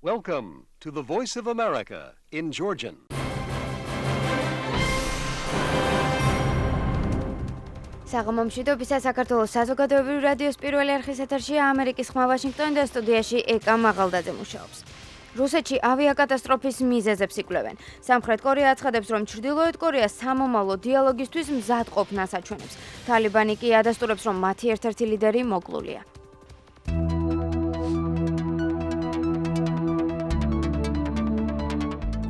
Welcome to the Voice of America in Georgian. საღამომშვიდობისა საქართველოს საზოგადოებრივი რადიოს პირველი არხის ეთერშია ამერიკის ხმა ვაშინგტონი და სტუდიაში ეკა მაღალდაძე მუშაობს. რუსეთში ავიაკატასტროფის მიზეზებს იკვლევენ. სამხრეთ კორეა აცხადებს, რომ ჩრდილოეთ კორეას სამომავლო დიალოგისთვის მზადყოფნას აჩვენებს. თალიბანი კი ადასტურებს, რომ მათი ერთ-ერთი ლიდერი მოკლულია.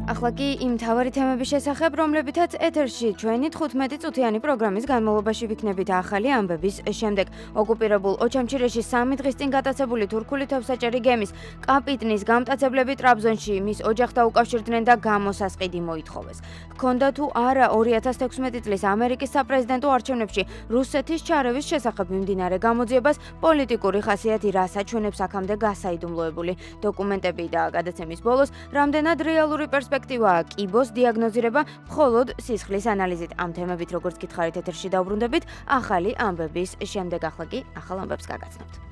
ახლა კი იმ მთავარი თემების შესახებ, რომლებითაც ეთერში ჩვენი 15 წუთიანი პროგრამის განმავლობაში ვიქნებით ახალი ამბების შემდეგ. ოკუპირებულ ოჩამჩირეში 3 დღის წინ გატაცებული თურქული თევზაჭერი გემის კაპიტნის გამტაცებლები ტრაბზონში მის ოჯახთან უკავშირდნენ და გამოსასყიდი მოითხოვეს. ჰქონდა თუ არა 2016 წლის ამერიკის საპრეზიდენტო არჩევნებში რუსეთის ჩარევის შესახებ მიმდინარე გამოძიებას პოლიტიკური ხასიათი რას აჩვენებს აქამდე გასაიდუმლოებული დოკუმენტები და გადაცემის ბოლოს რამდენად რეალური პერსპექტივაა კიბოს დიაგნოზირება მხოლოდ სისხლის ანალიზით. ამ თემებით როგორც გითხარით ეთერში დავბრუნდებით ახალი ამბების შემდეგ. ახლა კი ახალ ამბებს გაგაცნობთ.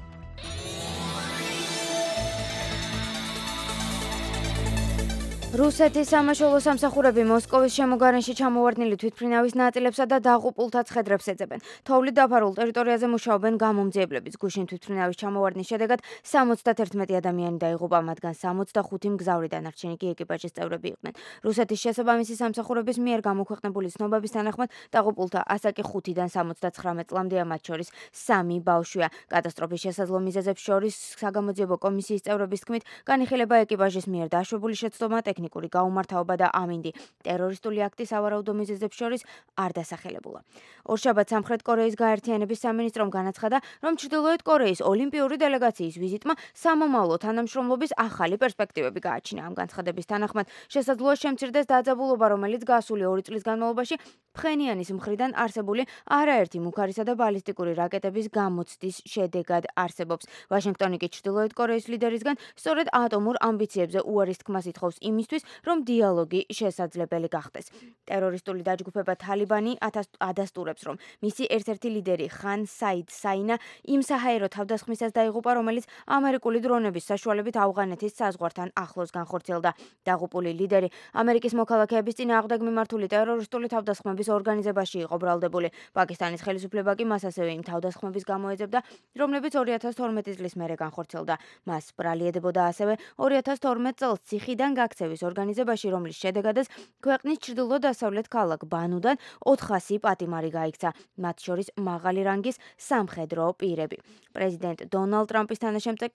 რუსეთის სამაშველო სამსახურები მოსკოვის შემოგარენში ჩამოვარდნილი თვითმფრინავის ნაწილებსა და დაღუპულთა ცხედრებს ეძებენ. თოვლით დაფარულ ტერიტორიაზე მუშაობენ გამომძიებლების. გუშინ თვითმფრინავის ჩამოვარდნის შედეგად 71 ადამიანი დაიღუპა, მათგან 65 მგზავრი, დანარჩენი კი ეკიპაჟის წევრები იყვნენ. რუსეთის შესაბამისი სამსახურების მიერ გამოქვეყნებული ცნობების თანახმად დაღუპულთა ასაკი 5-დან 79 წლამდეა, მათ შორის 3 ბავშვია. კატასტროფის შესაძლო მიზეზებს შორის საგამოძიებო კომისიის წევრების თქმით, განიხილება ეკიპაჟის მიერ დაშვებული შეცდომა, ტექნიკური გაუმართავობა და ამინდი. ტერორისტული აქტი სავარაუდო მიზეზებს შორის არ დასახელებულა. ორშაბათს სამხრეთ კორეის გაერთიანების სამინისტრომ განაცხადა, რომ ჩრდილოეთ კორეის ოლიმპიური დელეგაციის ვიზიტმა სამომავლო თანამშრომლობის ახალი პერსპექტივები გააჩინა. ამ განცხადების თანახმად შესაძლოა შემცირდეს დაძაბულობა, რომელიც გასული 2 წლის განმავლობაში ფხენიანის მხრიდან არსებული არაერთი მუქარისა და ბალისტიკური რაკეტების გამოცდის შედეგად არსებობს. ვაშინგტონი კი ჩრდილოეთ კორეის ლიდერისგან სწორედ ატომურ ამბიციებზე უარის თქმას ითხოვს იმისთვის, რომ დიალოგი შესაძლებელი გახდეს. ტერორისტული დაჯგუფება თალიბანი ადასტურებს, რომ მისი ერთ-ერთი ლიდერი ხან საიდ საინა იმ საჰაერო თავდასხმისას დაიღუპა, რომელიც ამერიკული დრონების საშუალებით ავღანეთის საზღვართან ახლოს განხორციელდა. დაღუპული ლიდერი ამერიკის მოქალაქეების წინააღმდეგ მიმართული ტერორისტული თავდასხმების ორგანიზებაში იყო ბრალდებული. პაკისტანის ხელისუფლება კი მას ასევე იმ თავდასხმების გამოეძებდა, რომლებიც 2012 წლის მერე განხორციელდა. მას ბრალieდებოდა ასევე 2012 წელს ციხიდან გაქცევის ორგანიზებაში, რომლის შედეგადაც ქვეყნის ჩრდილო-დასავლეთ ქალაქ ბანუდან 400 პატიმარი გაიქცა, მათ შორის მაღალი რანგის სამხედრო პირები. პრეზიდენტ დონალდ ტრამპის თანაშემწე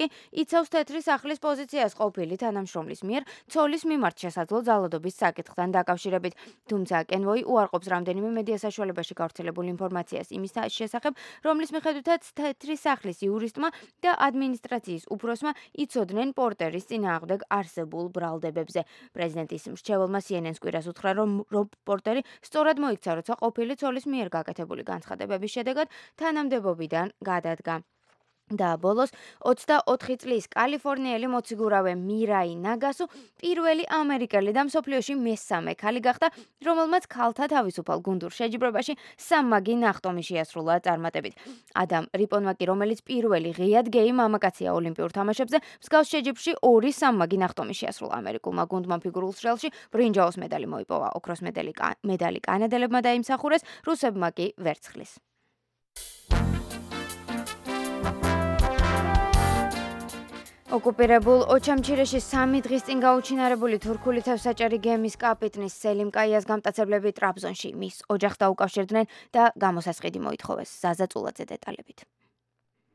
იცავს თეთრი სახლის პოზიციას ყოფილი თანამშრომლის მიერ ცოლის მიმართ შესაძლო ძალადობის საკითხთან დაკავშირებით. თუმცა კენვოი უარყოფს რამდენიმე მედია საშუალებაში გავრცელებულ ინფორმაციას იმის შესახებ, რომლის მიხედვითაც თეთრი სახლის იურისტმა და ადმინისტრაციის უფროსმა იცოდნენ პორტერის წინააღმდეგ არსებულ ბრალდებებზე. პრეზიდენტის მრჩეველმა CNN-ს კვირას უთხრა, რომ რობ პორტერი სწორად მოიქცა, როცა ყოფილი ცოლის მიერ გაკეთებული განცხადებების შედეგად თანამდებობიდან გადადგა. და ბოლოს 24 წლის კალიფორნიელი მოციგურავე მირაი ნაგასუ პირველი ამერიკელი და მსოფლიოში მესამე ქალი გახდა, რომელმაც ქალთა თავისუფალ გუნდურ შეჯიბრებაში სამმაგი ნახტომი შეასრულა წარმატებით. ადამ რიპონმა კი, რომელიც პირველი ღიად გეი მამაკაცია ოლიმპიურ თამაშებზე, მსგავს შეჯიბრში 2 სამმაგი ნახტომი შეასრულა. ამერიკულმა გუნდმა ფიგურულ სრიალში ბრინჯაოს მედალი მოიპოვა, ოქროს მედალი კანადელებმა დაიმსახურეს, რუსებმა კი ვერცხლის. ოკუპირებულ ოჩამჩირეში 3 დღის წინ გაუჩინარებული თურქული თევზაჭერი გემის კაპიტნის სელიმ კაიას გამტაცებლები ტრაბზონში მის ოჯახთან უკავშირდნენ და გამოსასყიდი მოითხოვეს. ზაზა წულაძე დეტალებით.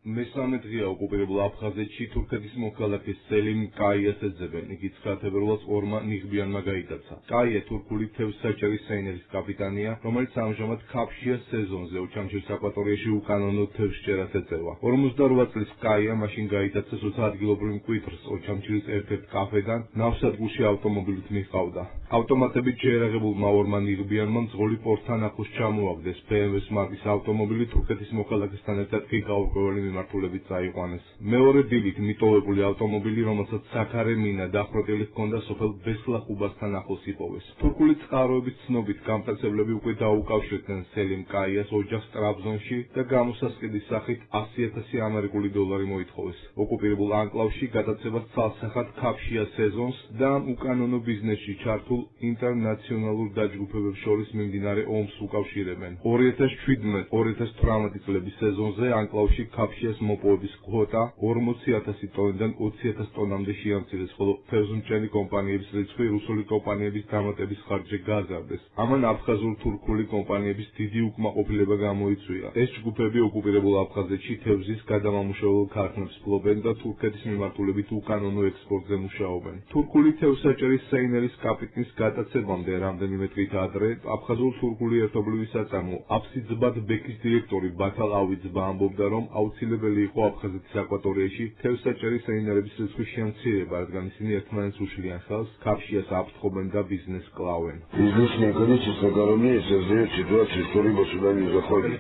მესამე დღეა ოკუპირებულ აფხაზეთში თურქეთის მოქალაქეს სელიმ კაიას ეძებენ. იგი 9 თებერვალს ორმა ნიღბიანმა გაიტაცა. კაია თურქული თევზსაჭერის საინერის კაპიტანია, რომელიც ამჟამად ქაფშია სეზონზე ოჩამჩირის აკვატორიაში უკანონო თევზჭერას ეწევა. 48 წლის კაია მაშინ გაიტაცა, როცა ადგილობრივ მკვიდრს ოჩამჩირის ერთ-ერთ კაფედან ნავსადგურში ავტომობილით მიჰყავდა. ავტომატებით შეერაღებულმა ორმა ნიღბიანმა მძღოლი პორტთან ახლოს ჩამოაგდეს. BMW-ს მარკის ავტომობილი თურქეთის მოქალაქესთან ერთად კი გაურკვეველი მიმართულებით წაიყვანეს. მეორე დილით მიტოვებული ავტომობილი, რომელსაც საქარე მინა დახვრეტილი ჰქონდა სოფელ ბესლახუბასთან ახლოს იპოვეს. თურქული წყაროების ცნობით გამტაცებლები უკვე დაუკავშირდნენ სელიმ კაიას ოჯახს ტრაბზონში და გამოსასყიდის სახით 100,000 ამერიკული დოლარი მოითხოვეს. ოკუპირებულ ანკლავში გადაცემას ცალსახად ქაფშია სეზონს და უკანონო ბიზნესში ჩართულ ინტერნაციონალურ დაჯგუფებებს შორის მიმდინარე ომს უკავშირებენ. 2017-2018 წლების სეზონზე ანკლავში ქაფშიას მოპოვების კვოტა 40,000 ტონიდან 20,000 ტონამდე შეამცირეს, ხოლო თევზმჭერი კომპანიების რიცხვი რუსული კომპანიების დამატების ხარჯზე გაზარდეს. ამან აფხაზურ-თურქული კომპანიების დიდი უკმაყოფილება გამოიწვია. ეს ჯგუფები ოკუპირებულ აფხაზეთში თევზის გადამამუშავებელ ქარხნებს ფლობენ და თურქეთის მიმართულებით უკანონო ექსპორტზე მუშაობენ. თურქული თევზსაჭერის სეინერის კაპიტნის გადაცემამდე რამდენიმე დღით ადრე აფხაზურ-თურქული ერთობლივი საწარმო აფსიძბად ბექის დირექტორი ბათალ ავიძბა ამბობდა, რომ აუცილებელი იყო აფხაზეთის აკვატორიაში თევზსაჭერის სეინერების რიცხვის შემცირება, რადგან ისინი ერთმანეთს უშლიან ხელს, ქაფშიას აფრთხობენ და ბიზნესს კლავენ.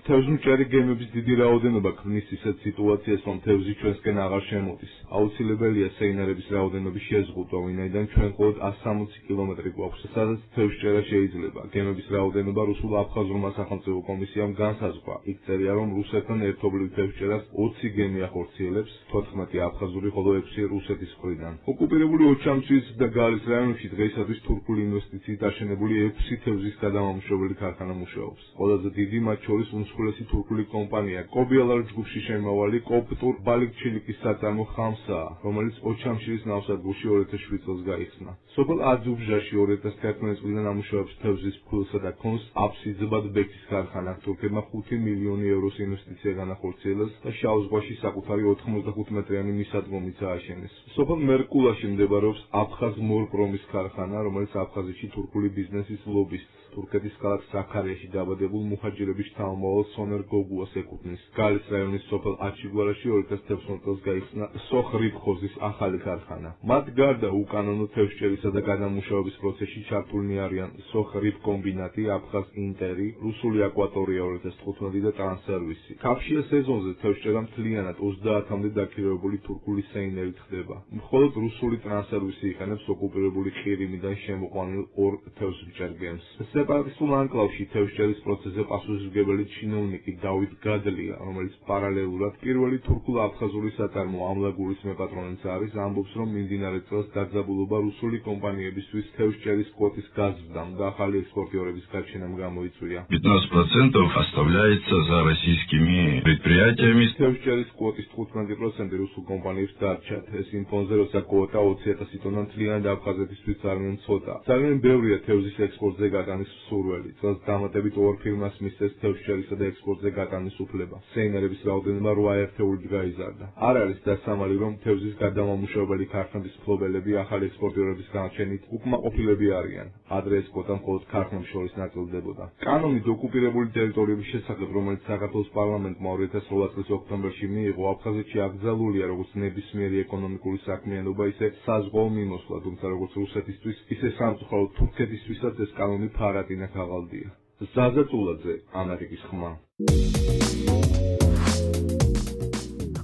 თევზმჭერი გემების დიდი რაოდენობა ქმნის ისეთ სიტუაციას, რომ თევზი ჩვენსკენ აღარ შემოდის. აუცილებელია სეინერების რაოდენობის შეზღუდვა, ვინაიდან ჩვენ მხოლოდ 160 კილომეტრი გვაქვს, სადაც თევზჭერა შეიძლება. გემების რაოდენობა რუსულ-აფხაზურმა სახელმწიფო კომისიამ განსაზღვრა. იქ წერია, რომ რუსეთთან ერთობლივ თევზჭერას 20 გემი ახორციელებს, 14 აფხაზური, ხოლო 6 რუსეთის მხრიდან. ოკუპირებული ოჩამჩის და გალის რაიონებში დღეისათვის თურქული ინვესტიციით აშენებული 6 თევზის გადამამუშავებელი ქარხანა მუშაობს. ყველაზე დიდი მათ შორის უმსხვილესი თურქული კომპანია კობიალარ ჯგუფში შემავალი კოპტურ ბალიქჩილიკის საწარმო ხამსაა, რომელიც ოჩამშირის ნავსადგურში 2007 წელს გაიხსნა. სოფელ აძუბჟაში 2011 წლიდან ამუშავებს თევზის ფქვილსა და ქონს აფსიძბად ბექის ქარხანა. თურქებმა 5 მილიონი ევროს ინვესტიცია განახორციელეს და შავ ზღვაში საკუთარი 95 მეტრიანი მისადგომიც ააშენეს. სოფელ მერკულაში მდებარეობს აფხაზ მორპრომის ქარხანა, რომელიც აფხაზეთში თურქული ბიზნესის ლობისტს, თურქეთის ქალაქ საქარიაში დაბადებულ მუჰაჯირების შთამომავალ სონერ გოგუას ეკუთვნის. გალის რაიონის სოფელ აჩიგვარაში 2011 წელს გაიხსნა სოხრიფხოზის ახალი ქარხანა. მათ გარდა უკანონო თევზჭერისა და გადამუშავების პროცესში ჩართულნი არიან სოხრიფ კომბინატი, აფხაზ ინტერი, რუსული აკვატორია 2015 და ტრანსსერვისი. ქაფშია სეზონზე თევზჭერა მთლიანად 30-მდე დაქირავებული თურქული სეინერით ხდება. მხოლოდ რუსული ტრანსსერვისი იყენებს ოკუპირებული ყირიმიდან შემოყვანილ 2 თევზმჭერ გემს. სეპარატისტულ ანკლავში თევზჭერის პროცესზე პასუხისმგებელი ჩინოვნიკი დავით გადლია, რომელიც პარალელურად პირველი თურქულ-აფხაზური საწარმო ამლაგურის მეპატრონეც არის, ამბობს, რომ მიმდინარე წელს დაძაბულობა რუსული კომპანიებისთვის თევზჭერის კვოტის გაზრდამ და ახალი ექსპორტიორების გაჩენამ გამოიწვია. 15% оставляется за российскими предприятиями. თევზჭერის კვოტის 15% რუსულ კომპანიებს დარჩათ. ეს იმ ფონზე, როცა კვოტა 20,000 ტონა მთლიანად აფხაზეთისთვის ძალიან ცოტა. ძალიან ბევრია თევზის ექსპორტზე გატანის მსურველი. წელს დამატებით 2 ფირმას მისცეს თევზჭერისა და ექსპორტზე გატანის უფლება. სეინერების რაოდენობა 8 ერთეულით გაიზარდა. არ არის დასამალი, რომ თევზის გადამამუშავებელი ქარხნების მფლობელები ახალი ექსპორტიორების განაჩენით უკმაყოფილები არიან. ადრე ეს კვოტა მხოლოდ ქარხნებს შორის ნაწილდებოდა. კანონით ოკუპირებული ტერიტორიების შესახებ, რომელიც საქართველოს პარლამენტმა 2008 წლის ოქტომბერში მიიღო, აფხაზეთში აკრძალულია როგორც ნებისმიერი ეკონომიკური საქმიანობა, ისე საზღვაო მიმოსვლა, თუმცა როგორც რუსეთისთვის, ისე სამწუხაროდ თურქეთისთვისაც ეს კანონი ფარატინა ქაღალდია. ზაზა წულაძე, ამერიკის ხმა.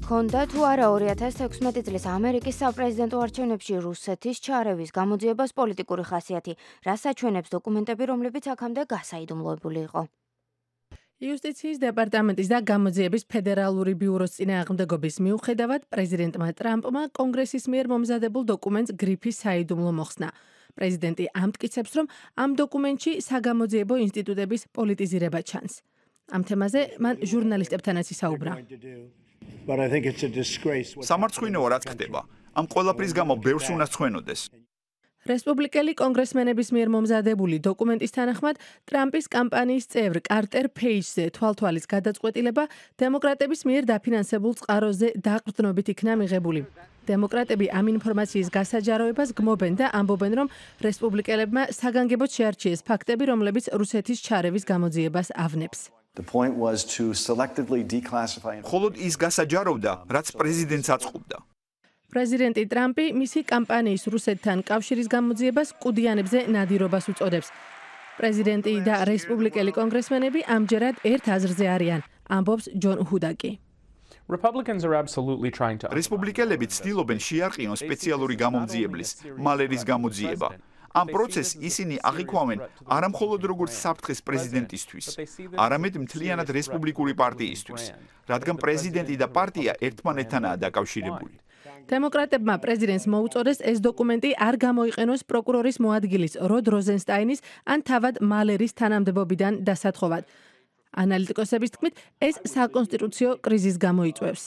ჰქონდა თუ არა 2016 წლის ამერიკის საპრეზიდენტო არჩევნებში რუსეთის ჩარევის გამოძიებას პოლიტიკური ხასიათი, რაც აჩვენებს დოკუმენტები, რომლებიც აქამდე გასაიდუმლოებული იყო. იუსტიციის დეპარტამენტის და გამოძიების ფედერალური ბიუროს წინააღმდეგობის მიუხედავად პრეზიდენტმა ტრამპმა კონგრესის მიერ მომზადებულ დოკუმენტს გრიფის საიდუმლო მოხსნა. პრეზიდენტი ამტკიცებს, რომ ამ დოკუმენტში საგამოძიებო ინსტიტუტების პოლიტიზირება ჩანს. ამ თემაზე მან ჟურნალისტებთანაც ისაუბრა. სამარცხვინოა რაც ხდება. ამ ყველაფრის გამო ბევრს უნდა ცხვენოდეს. რესპუბლიკელი კონგრესმენების მიერ მომზადებული დოკუმენტის თანახმად, ტრამპის კამპანიის წევრ კარტერ ფეიჯზე თვალთვალის გადაწყვეტილება დემოკრატების მიერ დაფინანსებულ წყაროზე დაყრდნობით იქნა მიღებული. დემოკრატები ამ ინფორმაციის გასაჯაროებას გმობენ და ამბობენ, რომ რესპუბლიკელებმა საგანგებოდ შეარჩიეს ფაქტები, რომლებიც რუსეთის ჩარევის გამოძიებას ავნებს. მხოლოდ ის გასაჯაროვდა, რაც პრეზიდენტს აწყობდა. პრეზიდენტი ტრამპი მისი კამპანიის რუსეთთან კავშირის გამოძიებას კუდიანებზე ნადირობას უწოდებს. პრეზიდენტი და რესპუბლიკელი კონგრესმენები ამჯერად ერთ აზრზე არიან, ამბობს ჯონ ჰუდაკი. Republicans are absolutely trying to რესპუბლიკელები ცდილობენ შეარყიონ სპეციალური გამომძიებლის, მალერის გამოძიება. ამ პროცესს ისინი აღიქვამენ არა მხოლოდ როგორც საფრთხეს პრეზიდენტისთვის, არამედ მთლიანად რესპუბლიკური პარტიისთვის, რადგან პრეზიდენტი და პარტია ერთმანეთთანაა დაკავშირებული. დემოკრატებმა პრეზიდენტს მოუწოდეს ეს დოკუმენტი არ გამოიყენოს პროკურორის მოადგილის როდ როზენსტაინის ან თავად მალერის თანამდებობიდან დასათხოვად. ანალიტიკოსების თქმით, ეს საკონსტიტუციო კრიზისს გამოიწვევს.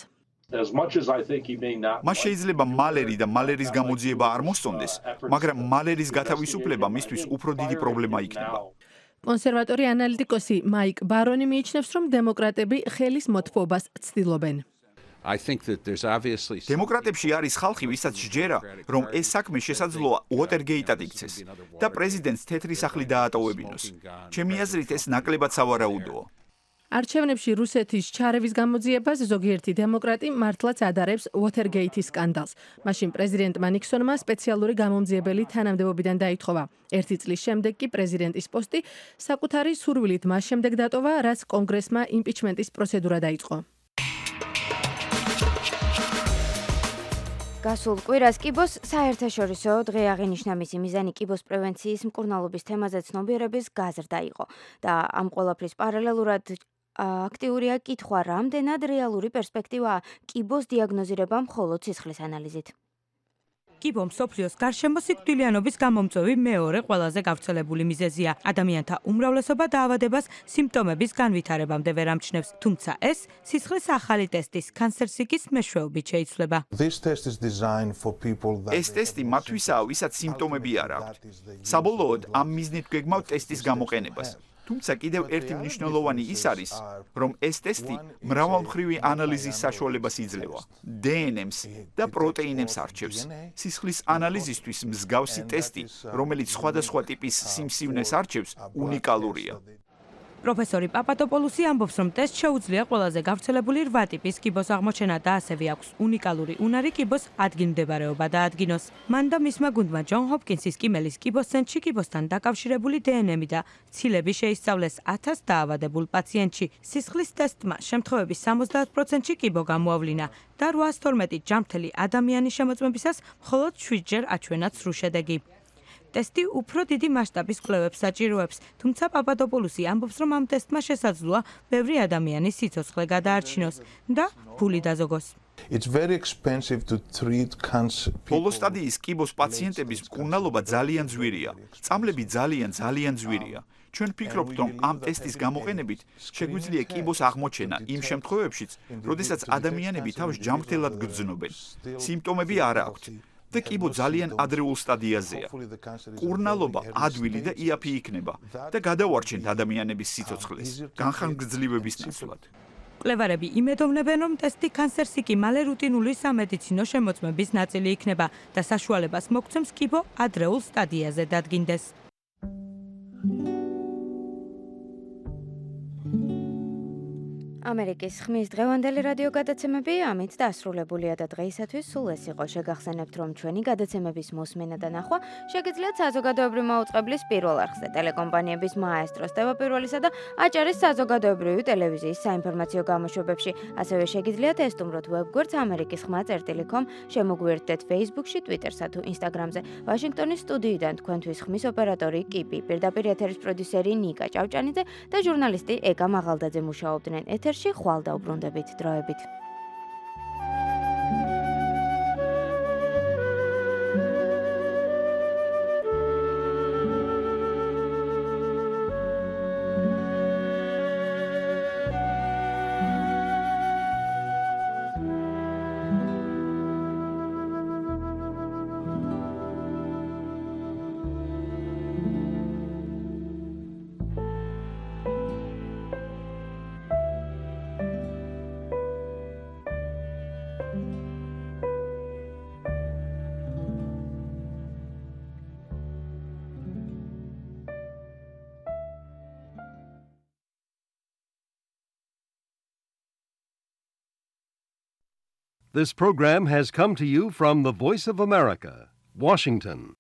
მას შეიძლება მალერი და მალერის გამოძიება არ მოსწონდეს, მაგრამ მალერის გათავისუფლება მისთვის უფრო დიდი პრობლემა იქნება. კონსერვატორი ანალიტიკოსი მაიკ ბარონი მიიჩნევს, რომ დემოკრატები ხელის მოთხოვებას ცდილობენ. დემოკრატებში არის ხალხი, ვისაც სჯერა, რომ ეს საქმე შესაძლოა უოტერგეიტად იქცეს და პრეზიდენტს თეთრი სახლი დაატოვებინოს. ჩემი აზრით, ეს ნაკლებად სავარაუდოა. არჩევნებში რუსეთის ჩარევის გამოძიებას ზოგიერთი დემოკრატი მართლაც ადარებს უოტერგეიტის სკანდალს. მაშინ პრეზიდენტმა ნიქსონმა სპეციალური გამომძიებელი თანამდებობიდან დაითხოვა. ერთი წლის შემდეგ კი პრეზიდენტის პოსტი საკუთარი სურვილით მას შემდეგ დატოვა, რაც კონგრესმა იმპიჩმენტის პროცედურა დაიწყო. გასულ კვირას კიბოს საერთაშორისო დღე აღინიშნა. მისი მიზანი კიბოს პრევენციის მკურნალობის თემაზე ცნობიერების გაზრდა იყო და ამ ყველაფრის პარალელურად აქტიურია კითხვა, რამდენად რეალური პერსპექტივაა კიბოს დიაგნოზირება მხოლოდ სისხლის ანალიზით. კიბო მსოფლიოს გარშემო სიკვდილიანობის გამომწვევი მეორე ყველაზე გავრცელებული მიზეზია. ადამიანთა უმრავლესობა დაავადებას სიმპტომების განვითარებამდე ვერ ამჩნევს, თუმცა ეს სისხლის ახალი ტესტის კანსერსიკის მეშვეობით შეიცვლება. ეს ტესტი მათთვისაა, ვისაც სიმპტომები არ აქვთ. საბოლოოდ ამ მიზნით გვეგმავთ ტესტის გამოყენებას. თუმცა კიდევ ერთი მნიშვნელოვანი ის არის, რომ ეს ტესტი მრავალმხრივი ანალიზის საშუალებას იძლევა. დნმ-ს და პროტეინებს არჩევს. სისხლის ანალიზისთვის მსგავსი ტესტი, რომელიც სხვადასხვა ტიპის სიმსივნეს არჩევს, უნიკალურია. პროფესორი პაპადოპოლუსი ამბობს, რომ ტესტ შეუძლია ყველაზე გავრცელებული 8 ტიპის კიბოს აღმოჩენა და ასევე აქვს უნიკალური უნარი კიბოს ადგილმდებარეობა დაადგინოს. მან და მისმა გუნდმა ჯონ ჰოპკინსის კიმელის კიბოს ცენტრში კიბოსთან დაკავშირებული დნმ და ცილები შეისწავლეს 1000 დაავადებულ პაციენტში. სისხლის ტესტმა შემთხვევების 70%-ში კიბო გამოავლინა და 812 ჯანმრთელი ადამიანის შემოწმებისას მხოლოდ 7-ჯერ აჩვენა ცრუ შედეგი. ტესტი უფრო დიდი მასშტაბის კვლევებს საჭიროებს, თუმცა პაპადოპოლუსი ამბობს, რომ ამ ტესტმა შესაძლოა ბევრი ადამიანის სიცოცხლე გადაარჩინოს და ფული დაზოგოს. ბოლო სტადიის კიბოს პაციენტების მკურნალობა ძალიან ძვირია. წამლები ძალიან ძვირია. ჩვენ ვფიქრობთ, რომ ამ ტესტის გამოყენებით შეგვიძლია კიბოს აღმოჩენა იმ შემთხვევებშიც, როდესაც ადამიანები თავს ჯანმრთელად გრძნობენ. სიმპტომები არ აქვთ. და კიბო ძალიან ადრეულ სტადიაზეა. მკურნალობა ადვილი და იაფი იქნება და გადავარჩენთ ადამიანების სიცოცხლეს, განხანგრძლივების ნაცვლად. მკვლევარები იმედოვნებენ, რომ ტესტი კანსერსიკი მალე რუტინული სამედიცინო შემოწმების ნაწილი იქნება და საშუალებას მოგცემს კიბო ადრეულ სტადიაზე დადგინდეს. ამერიკის ხმის დღევანდელი რადიო გადაცემები ამით დასრულებულია და დღეისათვის სულ ეს იყო. შეგახსენებთ, რომ ჩვენი გადაცემების მოსმენა და ნახვა შეგიძლიათ საზოგადოებრივი მაუწყებლის პირველ არხზე, ტელეკომპანიების მაესტროს, ტევაპირველისა და აჭარის საზოგადოებრივი ტელევიზიის საინფორმაციო გამოშვებებში. ასევე შეგიძლიათ ესტუმროთ ვებგვერდს amerikisxma.com, შემოგვიერთდეთ Facebook-ში, Twitter-სა თუ Instagram-ზე. ვაშინგტონის სტუდიიდან თქვენთვის ხმის ოპერატორი კიპი, პირდაპირ ეთერის პროდიუსერი ნიკა ჭავჭანიძე და ჟურნალისტი ეკა მაღალდაძე მუშაობდნენ ეთერში. ხვალ დაუბრუნდებით დროებით. This program has come to you from the Voice of America, Washington.